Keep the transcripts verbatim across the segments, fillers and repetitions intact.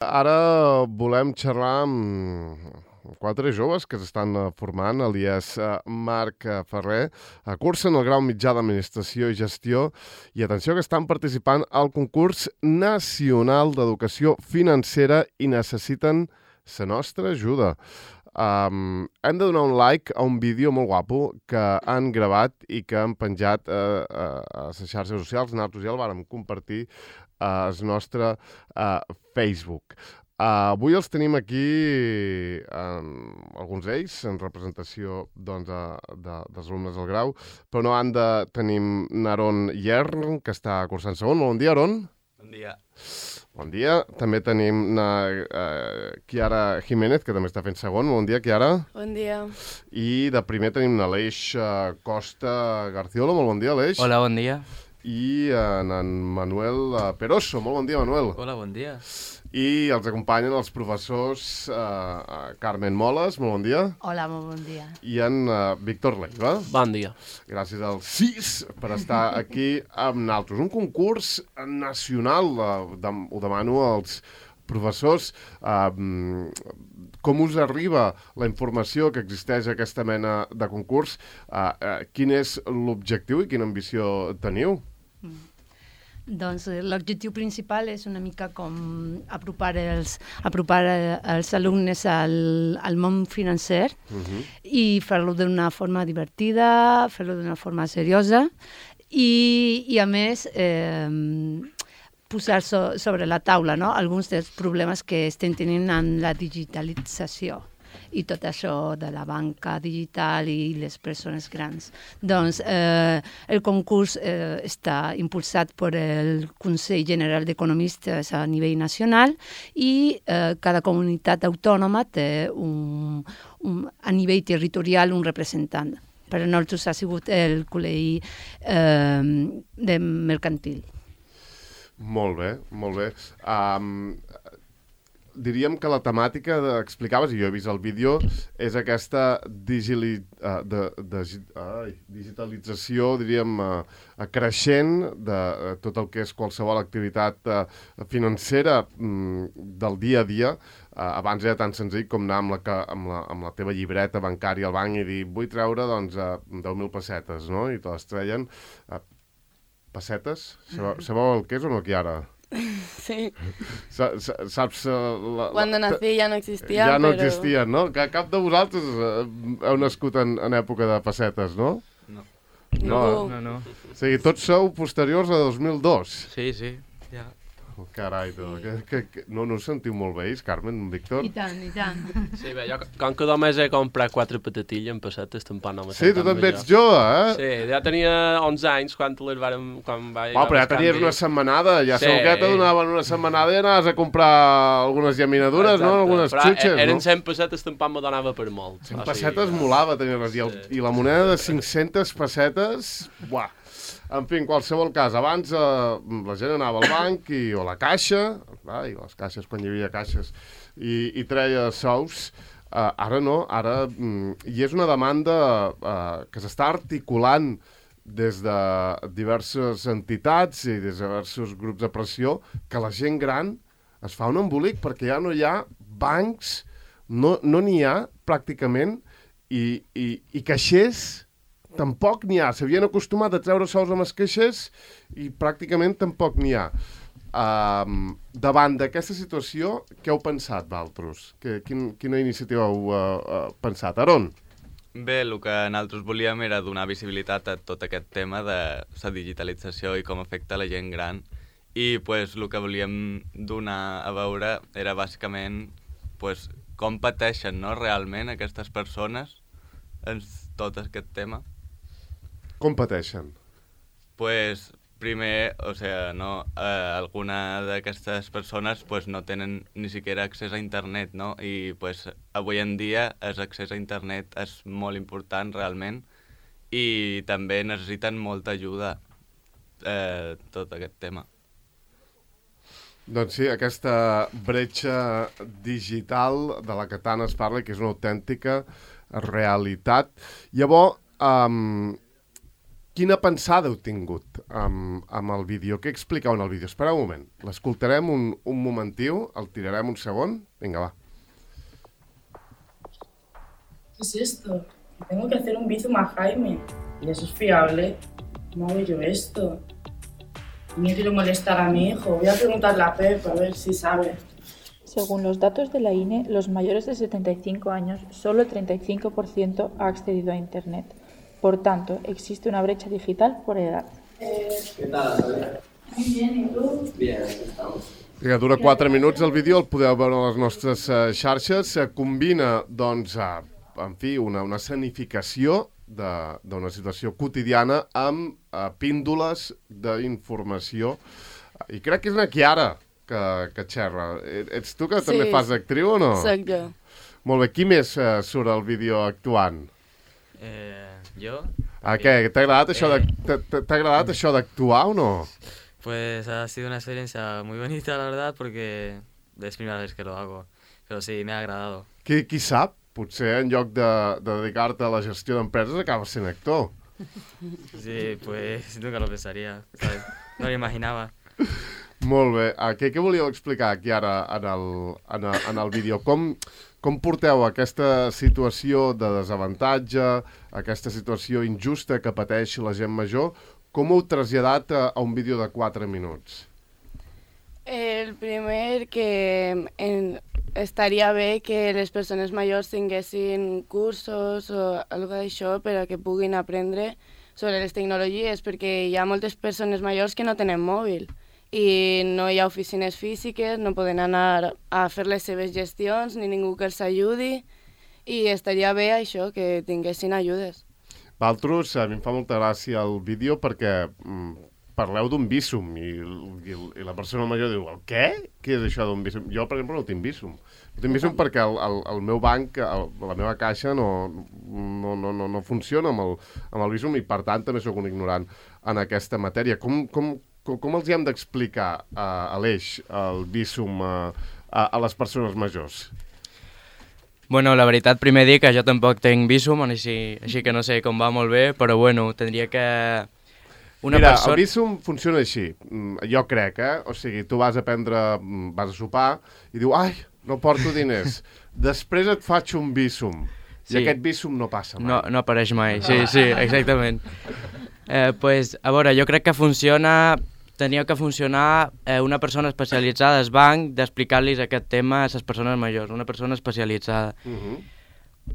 Ara volem xerrar amb quatre joves que s'estan formant, alias Marc Ferrer, cursen el grau mitjà d'Administració i Gestió i atenció que estan participant al concurs nacional d'educació financera i necessiten la nostra ajuda. Um, hem de donar un like a un vídeo molt guapo que han gravat i que han penjat uh, uh, a les xarxes socials. Nosaltres ja el vàrem compartir al nostre uh, Facebook. Uh, avui els tenim aquí, um, alguns d'ells, en representació doncs, de, de, dels alumnes del grau, però no han de tenim Aron Yern, que està cursant segon. Bon dia, Aron. Bon dia. Bon dia. També tenim na, uh, Chiara Jiménez, que també està fent segon. Bon dia, Chiara. Bon dia. I de primer tenim l'Aleix uh, Costa Garciola. Molt bon dia, Aleix. Hola, bon dia. I en, en Manuel Peroso. Molt bon dia, Manuel. Hola, bon dia. I els acompanyen els professors uh, Carmen Moles, molt bon dia. Hola, molt bon dia. I en uh, Víctor Leiva. Bon dia. Gràcies als sis per estar aquí amb nosaltres. Un concurs nacional, uh, dem ho demano als professors. Uh, com us arriba la informació que existeix aquesta mena de concurs? Uh, uh, quin és l'objectiu i quina ambició teniu? Mm. Doncs l'objectiu principal és una mica com apropar els, apropar els alumnes al, al món financer uh-huh. i fer-lo d'una forma divertida, fer-lo d'una forma seriosa i, i a més eh, posar so, sobre la taula, no? Alguns dels problemes que estem tenint en la digitalització i tot això de la banca digital i les persones grans. Doncs eh, el concurs eh, està impulsat per el Consell General d'Economistes a nivell nacional i eh, cada comunitat autònoma té un, un, a nivell territorial un representant. Per a nosaltres ha sigut el col·legi eh, de mercantil. Molt bé, molt bé. Um, diríem que la temàtica que explicaves, i jo he vist el vídeo, és aquesta digili, uh, de, de, ai, digitalització, diríem, uh, creixent de uh, tot el que és qualsevol activitat uh, financera um, del dia a dia. Uh, abans era tan senzill com anar amb la, amb, la, amb la teva llibreta bancària al banc i dir vull treure doncs, uh, deu mil pessetes, no? I te les treien. Uh, pessetes? Sabeu, sabeu el que és o no, Chiara? Sí. Sa, sa, saps... Uh, la, Cuando nací ja no existia, Ja no però... existien, no? Que cap de vosaltres uh, heu nascut en, en època de pessetes, no? No. No, Ningú. No, no. o sigui, tots sou posteriors a dos mil dos. Sí, sí, ja. Oh, carai, tu, que, que, que, no, no us sentiu molt vells, Carmen, Víctor? I tant, i tant. Sí, bé, jo com que només he comprat quatre patatilles en pessetes, tampoc no me Sí, tu també ets jove, eh? Sí, ja tenia onze anys quan les vàrem... Quan va Oh, però ja tenies una setmanada, ja Sí. segur que te donaven una setmanada i anaves a comprar algunes llaminadures, Exacte. no? Algunes Però xutxes, eren no? cent pessetes, tampoc me donava per molt. cent O sigui, pessetes molava tenir-les, i, el, Sí. i la moneda de cinc-centes pessetes, buah. En fi, en qualsevol cas, abans eh, la gent anava al banc i, o a la caixa, ai, les caixes, quan hi havia caixes, i, i treia sous. Uh, ara no, ara... Mm, I és una demanda uh, que s'està articulant des de diverses entitats i des de diversos grups de pressió, que la gent gran es fa un embolic perquè ja no hi ha bancs, no no n'hi ha pràcticament, i, i, i caixers tampoc n'hi ha. S'havien acostumat a treure sous amb els caixers i pràcticament tampoc n'hi ha. Um, davant d'aquesta situació, què heu pensat, vosaltres? Que, quin, quina iniciativa heu uh, uh, pensat? Aron? Bé, el que nosaltres volíem era donar visibilitat a tot aquest tema de la digitalització i com afecta la gent gran. I pues, el que volíem donar a veure era bàsicament pues, com pateixen, no, realment aquestes persones en tot aquest tema. Com pateixen? Pues primer, o sea, no, eh, alguna d'aquestes persones pues, no tenen ni siquiera accés a internet, no? I pues, avui en dia l'accés a internet és molt important realment i també necessiten molta ajuda eh, tot aquest tema. Doncs sí, aquesta bretxa digital de la que tant es parla, que és una autèntica realitat. Llavors, um, quina pensada heu tingut amb, amb el vídeo? Què explicau en el vídeo? Espera un moment, l'escoltarem un, un momentiu, el tirarem un segon. Vinga, va. ¿Qué es esto? Tengo que hacer un bizum a Jaime. ¿Y eso es fiable? ¿Cómo hago yo esto? No quiero molestar a mi hijo. Voy a preguntarle a Pep a ver si sabe. Según los datos de la I N E, los mayores de setenta y cinco años, solo el treinta y cinco por ciento ha accedido a Internet. Por tanto, existe una brecha digital por edad. ¿Qué tal, Natalia? Muy bien, ¿y tú? Bien, aquí estamos. Que dura quatre minuts el vídeo, el podeu veure a les nostres uh, xarxes. Se combina, doncs, uh, en fi, una, una escenificació d'una situació quotidiana amb uh, píndoles d'informació. I crec que és una Chiara que, que xerra. Ets tu que sí. també fas d'actriu o no? Soc jo. Molt bé. Qui més uh, surt al vídeo actuant? Eh, ¿Yo? Ah, què? T'ha agradat, això Eh. de, t'ha agradat això d'actuar o no? Pues ha sido una experiencia muy bonita, la verdad, porque es primera vez que lo hago. Pero sí, me ha agradado. Qui, qui sap? Potser en lloc de, de dedicar-te a la gestió d'empreses acabes sent actor. Sí, pues nunca lo pensaría, ¿sabes? No lo imaginaba. Molt bé. Uh, què, què volíeu explicar aquí ara en el, en el, en el vídeo? Com, com porteu aquesta situació de desavantatge, aquesta situació injusta que pateix la gent major, com ho heu traslladat a, a un vídeo de quatre minuts? El primer, que en, estaria bé que les persones majors tinguessin cursos o alguna d'això per a que puguin aprendre sobre les tecnologies, perquè hi ha moltes persones majors que no tenen mòbil i no hi ha oficines físiques, no poden anar a fer les seves gestions, ni ningú que els ajudi, i estaria bé això, que tinguessin ajudes. Valtros, a mi em fa molta gràcia el vídeo perquè mm, parleu d'un vísum i, i, i la persona major diu, el què? Què és això d'un vísum? Jo, per exemple, no tinc vísum. No tinc vísum perquè el, el, el meu banc, el, la meva caixa no, no, no, no, no funciona amb el, amb el vísum i, per tant, també sóc un ignorant en aquesta matèria. Com, com, com, com els hi hem d'explicar a, a l'Eix el vísum a, a, a les persones majors? Bueno, la veritat, primer dir que jo tampoc tinc vísum, així, així que no sé com va molt bé, però bueno, tindria que... Una Mira, persona... el vísum funciona així, jo crec, eh? O sigui, tu vas a prendre, vas a sopar i diu, ai, no porto diners. Després et faig un vísum. I Sí. aquest vísum no passa mai. No, no apareix mai, sí, sí, exactament. Eh, pues, a veure, jo crec que funciona... Tenia que funcionar eh, una persona especialitzada al banc d'explicar-los aquest tema a les persones majors, una persona especialitzada. Uh -huh.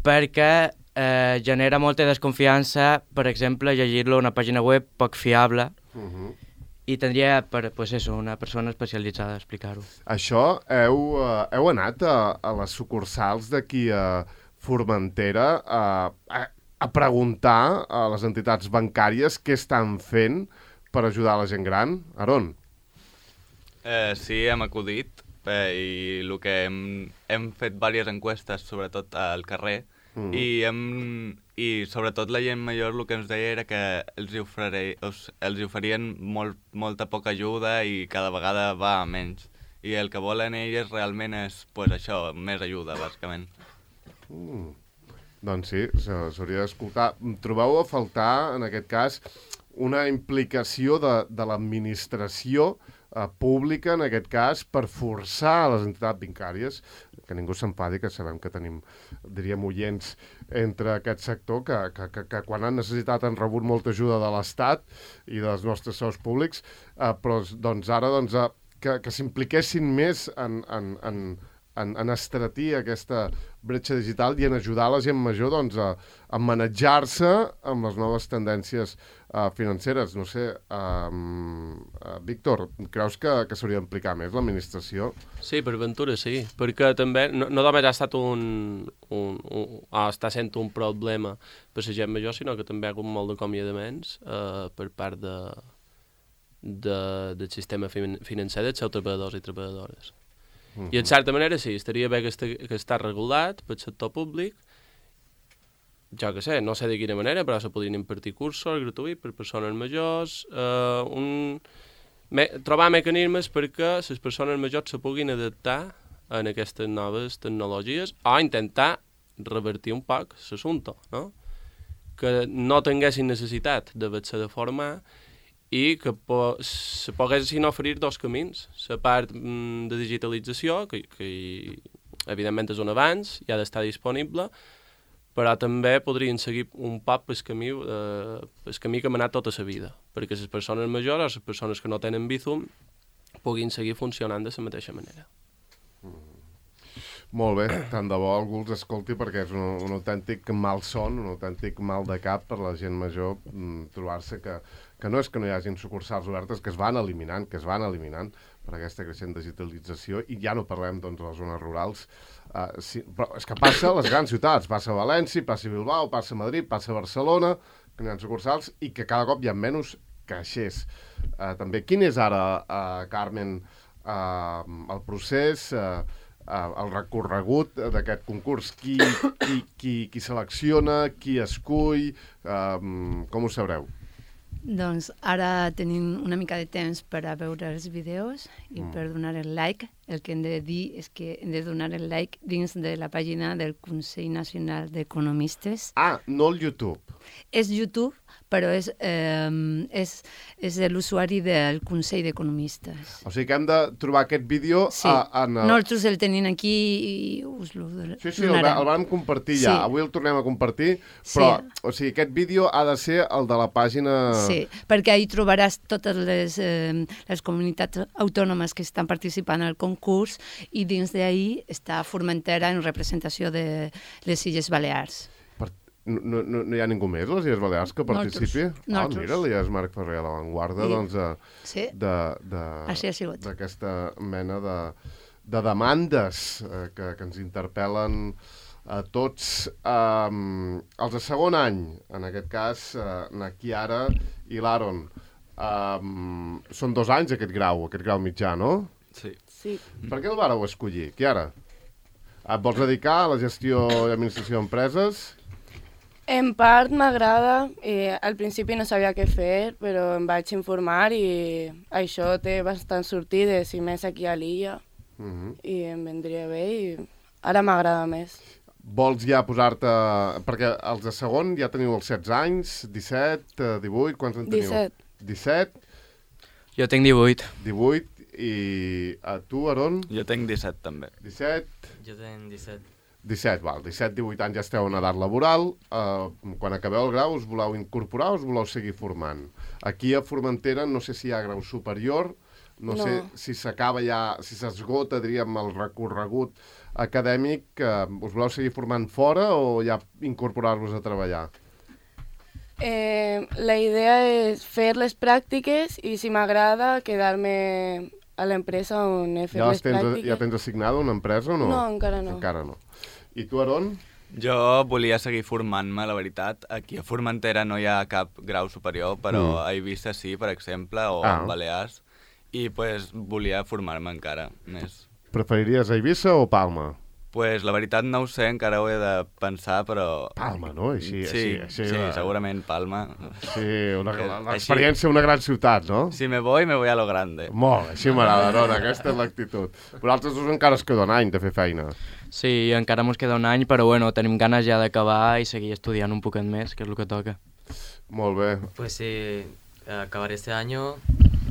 Perquè eh, genera molta desconfiança, per exemple, llegir-lo a una pàgina web poc fiable, Uh -huh. i tindria, per, pues eso, una persona especialitzada a explicar-ho. Això, heu, uh, heu anat a, a les sucursals d'aquí a Formentera a, a, a preguntar a les entitats bancàries què estan fent per ajudar la gent gran? Aron? Eh, sí, hem acudit eh, i el que hem, hem fet diverses enquestes, sobretot al carrer, mm. i, hem, i sobretot la gent major el que ens deia era que els hi, oferei, els, els hi oferien molt, molta poca ajuda i cada vegada va a menys. I el que volen elles realment és pues, això, més ajuda, bàsicament. Mm. Doncs sí, s'hauria d'escoltar. Trobeu a faltar, en aquest cas, una implicació de, de l'administració eh, pública, en aquest cas, per forçar les entitats bancàries, que ningú s'enfadi, que sabem que tenim, diríem, oients entre aquest sector, que, que, que, que quan han necessitat han rebut molta ajuda de l'Estat i dels nostres sous públics, eh, però doncs, ara doncs, eh, que, que s'impliquessin més en, en, en, en, en estratir aquesta bretxa digital i en ajudar la gent major doncs, a, a manejar-se amb les noves tendències uh, financeres. No sé, uh, uh, Víctor, creus que, que s'hauria d'implicar més l'administració? Sí, per ventura sí, perquè també no, no només ha estat un, un, un, ha estat sent un problema per la gent major, sinó que també hi ha hagut molt d'acomiadaments uh, per part de, de, del sistema fin financer dels seus treballadors i treballadores. Uh-huh. I en certa manera sí, estaria bé que, este, que està regulat pel sector públic, jo que sé, no sé de quina manera, però se podrien impartir cursos gratuïts per persones majors, eh, un, me, trobar mecanismes perquè les persones majors se puguin adaptar a aquestes noves tecnologies o intentar revertir un poc l'assumpte, no? que no tinguessin necessitat d'haver-se de formar i que po se poguessin oferir dos camins. La part mm, de digitalització, que, que evidentment és un avanç, ja ha d'estar disponible, però també podrien seguir un poc pel camí, eh, pel camí que hem anat tota la vida, perquè les persones majors o les persones que no tenen Bizum puguin seguir funcionant de la mateixa manera. Mm. Molt bé, tant de bo algú els escolti perquè és un, un autèntic malson, un autèntic mal de cap per la gent major mm, trobar-se que, que no és que no hi hagin sucursals obertes, que es van eliminant, que es van eliminant per aquesta creixent digitalització, i ja no parlem doncs, de les zones rurals, uh, sí, però és que passa a les grans ciutats, passa a València, passa a Bilbao, passa a Madrid, passa a Barcelona, que no hi ha sucursals i que cada cop hi ha menys caixers. Uh, també, quin és ara, uh, Carmen, uh, el procés... Uh, Uh, el recorregut d'aquest concurs, qui, qui, qui, qui selecciona, qui escull, uh, com ho sabreu? Doncs ara tenim una mica de temps per a veure els vídeos i mm. per donar el like. El que hem de dir és que hem de donar el like dins de la pàgina del Consell Nacional d'Economistes. Ah, no el YouTube. És YouTube, però és, eh, és, és l'usuari del Consell d'Economistes. O sigui que hem de trobar aquest vídeo sí. a, en el... Nosaltres el tenim aquí i us el donarem. Sí, sí, el, el vam compartir ja. Sí. Avui el tornem a compartir, però sí. o sigui, aquest vídeo ha de ser el de la pàgina... Sí, perquè ahí trobaràs totes les, eh, les comunitats autònomes que estan participant al concurs i dins d'ahí està Formentera en representació de les Illes Balears. No, no, no hi ha ningú més, les Illes Balears, que participi? Ah, oh, mira, ja és Marc Ferrer a l'avantguarda, doncs, sí. d'aquesta de, mena de, de demandes eh, que, que ens interpel·len a tots. Um, els de segon any, en aquest cas, uh, na Chiara i l'Aaron, um, són dos anys aquest grau, aquest grau mitjà, no? Sí. sí. Per què el vareu escollir, Chiara? Et vols dedicar a la gestió i administració d'empreses? En part m'agrada, eh, al principi no sabia què fer, però em vaig informar i això té bastant sortides, i més aquí a l'illa, uh-huh. i em vendria bé i ara m'agrada més. Vols ja posar-te... Perquè els de segon ja teniu els setze anys, disset, divuit, quants en teniu? disset. disset? Jo tinc divuit. divuit, i a tu, Aaron? Jo tinc disset, també. disset? Jo tinc disset. disset, val. disset, divuit anys ja esteu en edat laboral. Uh, quan acabeu el grau us voleu incorporar o us voleu seguir formant? Aquí a Formentera no sé si hi ha grau superior, no, no. sé si s'acaba ja, si s'esgota, diríem, el recorregut acadèmic. Uh, us voleu seguir formant fora o ja incorporar-vos a treballar? Eh, la idea és fer les pràctiques i si m'agrada quedar-me a l'empresa on he fet ja les tens, pràctiques. Ja tens assignada una empresa o no? No, encara no. Encara no. I tu, Aaron? Jo volia seguir formant-me, la veritat. Aquí a Formentera no hi ha cap grau superior, però mm. a Eivissa sí, per exemple, o ah. a Balears, i pues, volia formar-me encara més. Preferiries Eivissa o Palma? Pues la veritat no ho sé, encara ho he de pensar, però... Palma, no? Així, sí, així, així, sí la... segurament Palma. Sí, l'experiència d'una gran ciutat, no? Si me voy, me voy a lo grande. Molt, així m'agrada, no? Aquesta és l'actitud. Però altres dos encara es queda un any de fer feina. Sí, encara mos queda un any, però bueno, tenim ganes ja d'acabar i seguir estudiant un poquet més, que és el que toca. Molt bé. Pues sí, acabar este año...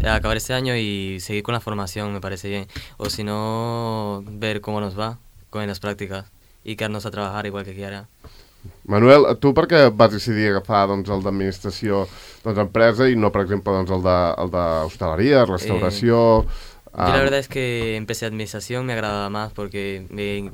Acabar este año y seguir con la formación me parece bien. O si no, ver cómo nos va en las prácticas y quedarnos a trabajar igual que quiera. Manuel, tu per què vas decidir agafar doncs, el d'administració doncs, empresa y no, por ejemplo, doncs, el d'hostaleria, restauració... Eh, um... Yo la verdad es que empecé administración, me agradaba más porque me,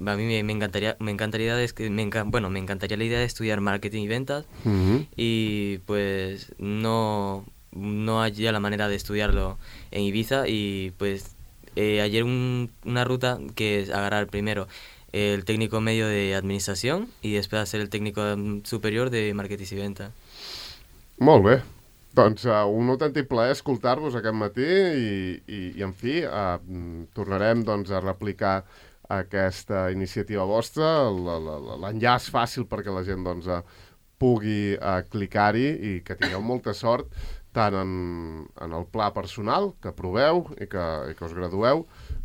a mí me, me encantaría, me encantaría, de, me enca, bueno, me encantaría la idea de estudiar marketing y ventas uh-huh. y pues no, no había la manera de estudiarlo en Ibiza y pues Eh, ayer un, una ruta que es agarrar primero el técnico medio de administración y després hacer el técnico superior de marketing i venta. Molt bé. Doncs uh, un autèntic plaer escoltar-vos aquest matí i, i, i en fi, uh, tornarem doncs, a replicar aquesta iniciativa vostra, l'enllaç fàcil perquè la gent doncs, uh, pugui uh, clicar-hi i que tingueu molta sort tant en, en el pla personal, que aproveu i que, i que us gradueu,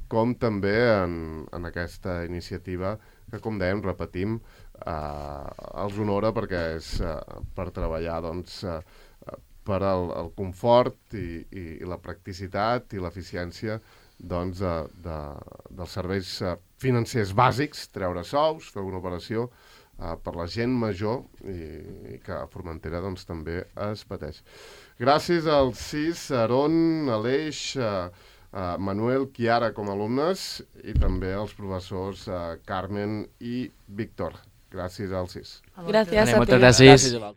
com també en, en aquesta iniciativa que, com dèiem, repetim, eh, els honora perquè és eh, per treballar doncs, eh, per al, el confort i, i, i la practicitat i l'eficiència doncs, de, de, dels serveis eh, financers bàsics, treure sous, fer una operació eh, per la gent major i, i que a Formentera doncs, també es pateix. Gràcies als sis, Aron, Aleix, eh, eh, Manuel, Chiara com a alumnes i també als professors eh, Carmen i Víctor. Gràcies als sis. Gràcies a Moltes ti. gràcies.